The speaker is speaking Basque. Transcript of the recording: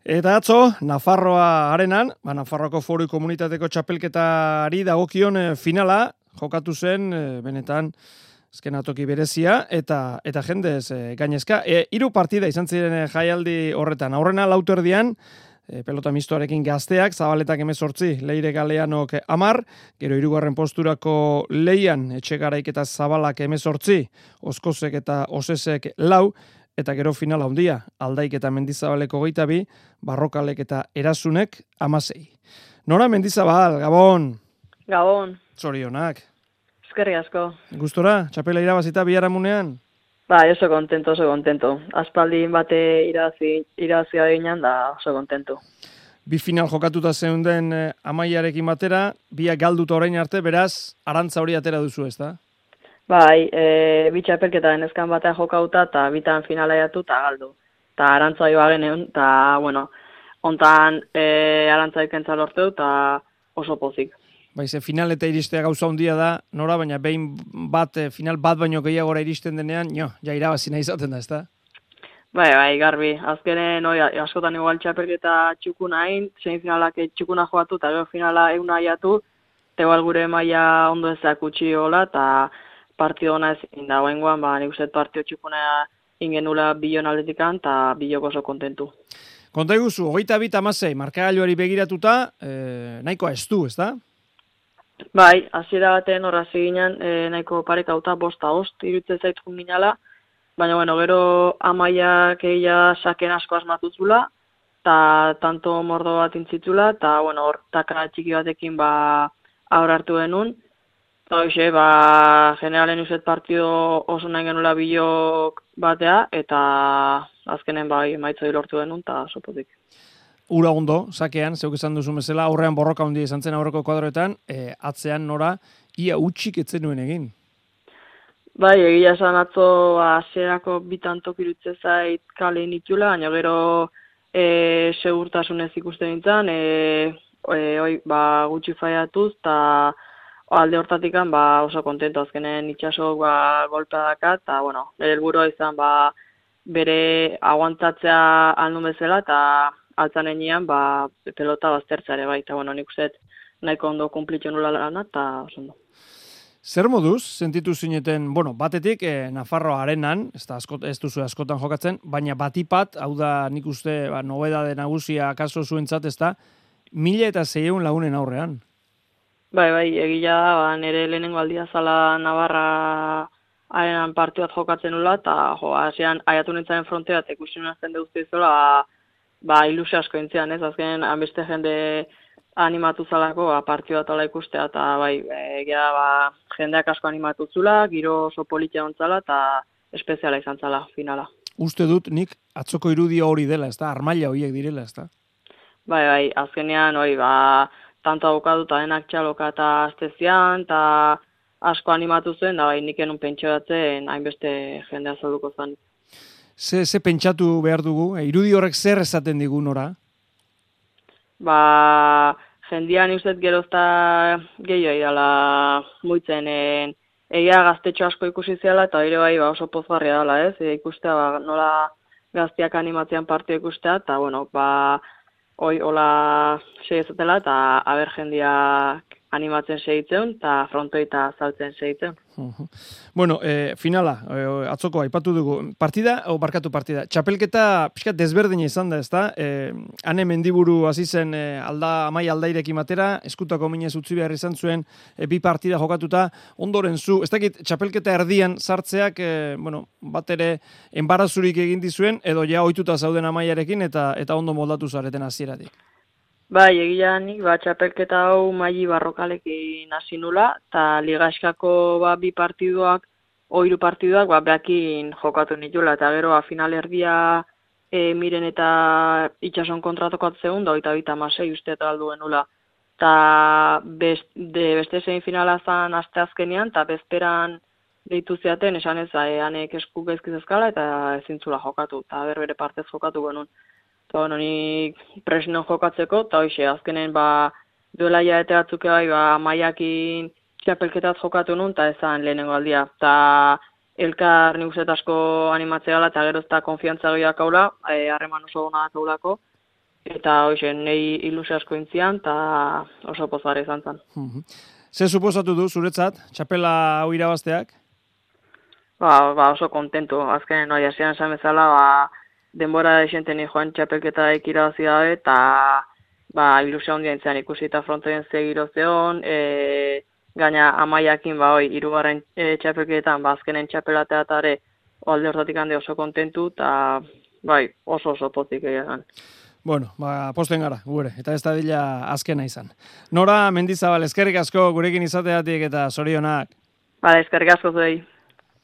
Eta atzo, Nafarroa arenan, Nafarroako Foru Komunitateko txapelketari dagokion finala jokatu zen, benetan, azken atoki berezia, eta jendez gainezka. 3 partida izan ziren jaialdi horretan. Aurrena lauterdian, pelota mistoarekin Gazteak, Zabaletak 18, Leire Galeanok 10, gero 3. posturako Leian, Etxegaraik eta Zabalak 18, Oskozek eta Osesek 4, eta gero finala handia, Aldaik eta Mendizabaleko 22, Barrokalek eta Erasunek 16. Nora Mendizabal, Gabon! Gabon! Zorionak! Eskerrik asko! Gustora, txapela irabazita biharamunean? Oso kontento. Aspaldin bate irazia ginen da oso kontento. Bi final jokatuta zeunden Amaiarekin batera, biak galduta orain arte, beraz, arantza hori atera duzu, ez da? Bi txapelketa denezkan batean jokauta eta bitan finala jatu eta galdu. Eta arantza joa geneun, eta, ontan arantza ikentza lorteu eta oso pozik. Ze final eta iristea gauza handia da, Nora, baina behin final bat baino gehiagora iristen denean, irabazi nahi izaten da, ez da? Garbi. Azkenen, askotan igual txapelketa txukuna hain, zein finalak txukuna joatu eta gero finala euna jatu, eta igual gure maila ondo ezak utxi hola, eta partido ona ezin da, oengoan, nik uste partido txukuna ingenula bilon aldetikan, eta biloko oso kontentu. Konta iguzu, 22-16, markagailuari begiratuta, nahikoa ez du, ez da? Hasiera baten horra ziginen, nahiko parekauta 5-5, irutzen zaitkun ginala, baina, gero Amaiak egia saken asko asmatuzula, eta tanto mordo bat intzitzula, eta, hor taka txiki batekin aurra hartu genuen, eta hoxe, generalen uzet partido oso nahi genula bilok batea, eta azkenen maitzoi lortu genuen, eta sopotik. Ura ondo, sakean, zeuk esan duzu bezala, aurrean borroka handia izan zen aurreko kuadroetan, atzean Nora, ia utxik etzen nuen egin. Egia esan atzo hasierako bitantok irutze zait kale nitula, baina gero segurtasunez ikusten nintzen, gutxi faiatuz, eta alde hortatikan oso kontento azkenen itxasok golpea dakat, eta nire helburua izan bere aguantatzea aldun bezala, eta altzan enean pelota baztertzare eta nik uste nahiko ondo kumplitzen nula lana, eta oso ondo. Zer moduz, sentitu zineten, batetik Nafarroa arenan, ez duzu askotan jokatzen, baina batipat, hau da nik uste nobedade nagusia akaso zuentzat, ez da, 1.600 lagunen aurrean. Egia da, nire lehenengo aldia zala Navarra arenan partiu bat jokatzen nula, eta hasian aiatu nintzaren frontea, eta ikusten azten duzte izola, ilusio asko intzian, ez? Azken, hanbeste jende animatu zalako, partiu bat ala ikustea, eta egia da, jendeak asko animatu zula, giro oso politia ontzala, eta espeziala izan zala, finala. Uste dut nik atzoko irudia hori dela, ez da? Armaila horiek direla, ez da? Azkenean, tanto abokatu eta denak txaloka eta aztezian, eta asko animatu zuen, da nik enun pentsioatzen, hainbeste jendea zalduko zen. Ze pentsatu behar dugu? Irudi horrek zer esaten digu, Nora? Jendean ustez gerozta gehiago idala muitzen egia gaztetxo asko ikusi ziala, eta ere oso pozgarria dela, ez? Ikustea, nola gaztiak animatzean partio ikustea, eta, hola segizatela, eta aber jendeak animatzen segitzen, eta frontoi eta zaltzen segitzen. Finala, atzoko aipatu dugu. Partida. Txapelketa pixkat desberdina izan da, ez da? Hane Mendiburu hasi zen Amai Aldairekin batera, eskutako minez utzi behar izan zuen, bi partida jokatuta, ondoren zu, ez dakit, txapelketa erdian sartzeak, bat ere enbarazurik egin dizuen, edo ja ohituta zauden Amaiarekin, eta ondo moldatu zareten hasieratik. Egia nik, txapelketa hau maili Barrokalekin hasi nula, eta ligaskako bi partiduak, hiru partiduak, behakin jokatu nitula, eta gero final erdia miren eta itxason kontratokat zeun, da 26 uste eta galdu genula. Eta beste zein finala zan aste azkenean, eta bezperan deitu zeaten, esan ez, hanek esku gaizkiz eskala, eta ezintzula jokatu, eta bere partez jokatu genuen. Nik presino jokatzeko, eta hoxe, azkenen duela jaete batzuk Amaiakin txapelketat jokatu nun, eta ezan lehenengo aldia. Eta elkar nik uste asko animatzea gala, eta gero ez da konfiantza gehiak haula, harreman oso gona kaulako. eta hoxe, nahi ilusio asko intzian, eta oso pozgarri izan zen. Ze suposatu du zuretzat, txapela hau irabazteak? Oso kontentu. Azkenen, hasian esan bezala, denbora esenten joan txapelketaik irabazi gabe, eta ilusio handia intzian ikusi eta frontoien zegiro zeon, gaina amaiakin, hirugarren txapelketan, azkenen txapelateatare alde hortatik handi oso kontentu, eta oso pozik egan. Bueno, posten gara, gure, eta ez da dila azkena izan. Nora Mendizabal, eskerrik asko gurekin izateatik eta zorionak. Eskerrik asko zuei.